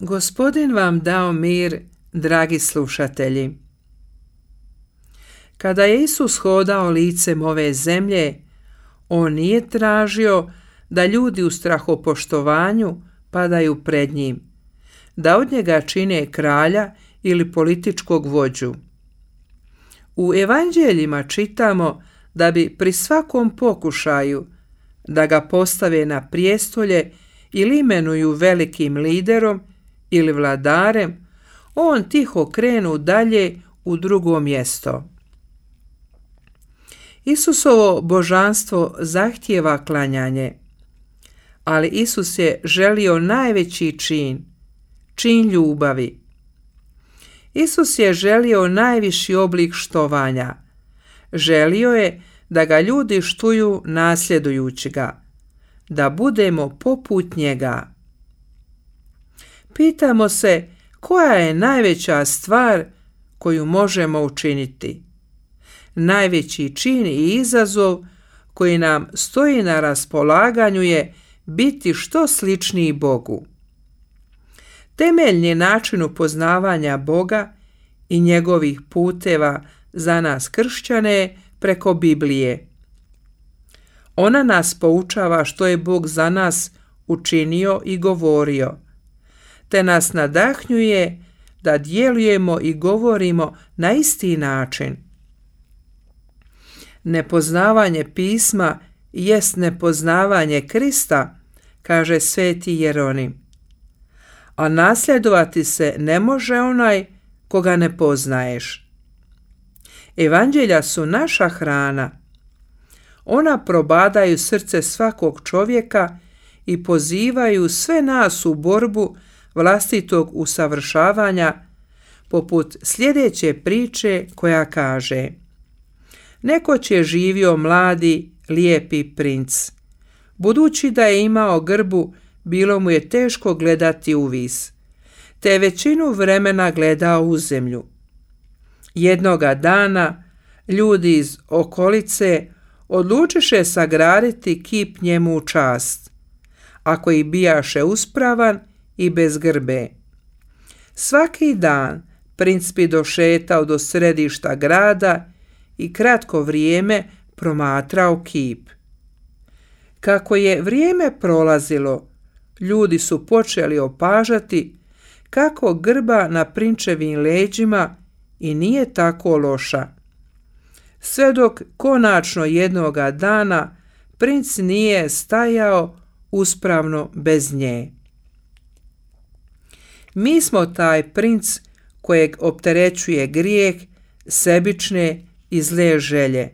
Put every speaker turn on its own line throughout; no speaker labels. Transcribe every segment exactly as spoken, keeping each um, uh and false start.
Gospodin vam dao mir, dragi slušatelji. Kada je Isus hodao licem ove zemlje, on nije tražio da ljudi u strahopoštovanju padaju pred njim, da od njega čine kralja ili političkog vođu. U evanđeljima čitamo da bi pri svakom pokušaju da ga postave na prijestolje ili imenuju velikim liderom ili vladarem, on tiho krenu dalje u drugo mjesto. Isusovo božanstvo zahtijeva klanjanje, ali Isus je želio najveći čin, čin ljubavi. Isus je želio najviši oblik štovanja. Želio je da ga ljudi štuju nasljedujući ga, da budemo poput njega. Pitamo se koja je najveća stvar koju možemo učiniti. Najveći čin i izazov koji nam stoji na raspolaganju je biti što sličniji Bogu. Temeljni način upoznavanja Boga i njegovih puteva za nas kršćane je preko Biblije. Ona nas poučava što je Bog za nas učinio i govorio, te nas nadahnjuje da djelujemo i govorimo na isti način. Nepoznavanje pisma jest nepoznavanje Krista, kaže sveti Jeronim. A nasljedovati se ne može onaj koga ne poznaješ. Evanđelja su naša hrana. Ona probadaju srce svakog čovjeka i pozivaju sve nas u borbu vlastitog usavršavanja, poput sljedeće priče koja kaže: Nekoć je živio mladi, lijepi princ. Budući da je imao grbu, bilo mu je teško gledati u vis, te je većinu vremena gledao u zemlju. Jednoga dana ljudi iz okolice odlučiše sagraditi kip njemu u čast, ako i bijaše uspravan i bez grbe. Svaki dan princ bi došetao do središta grada i kratko vrijeme promatrao kip. Kako je vrijeme prolazilo, ljudi su počeli opažati kako grba na prinčevim leđima i nije tako loša. Sve dok konačno jednoga dana princ nije stajao uspravno bez nje. Mi smo taj princ kojeg opterećuje grijeh, sebične i zle želje.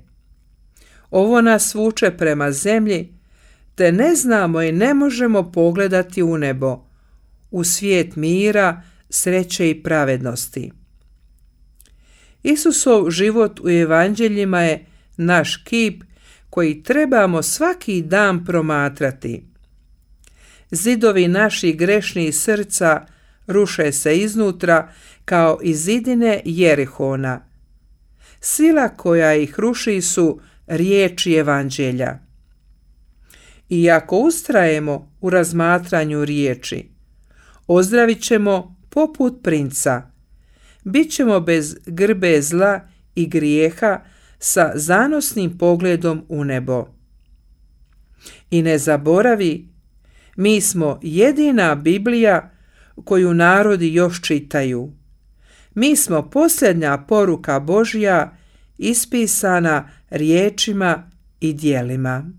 Ovo nas vuče prema zemlji, te ne znamo i ne možemo pogledati u nebo, u svijet mira, sreće i pravednosti. Isusov život u evanđeljima je naš kip koji trebamo svaki dan promatrati. Zidovi naših grešnih srca ruše se iznutra kao i zidine Jerihona. Sila koja ih ruši su riječi evanđelja. I ako ustrajemo u razmatranju riječi, ozdravit ćemo poput princa, bit ćemo bez grbe zla i grijeha sa zanosnim pogledom u nebo. I ne zaboravi, mi smo jedina Biblija koju narodi još čitaju. Mi smo posljednja poruka Božja ispisana riječima i djelima.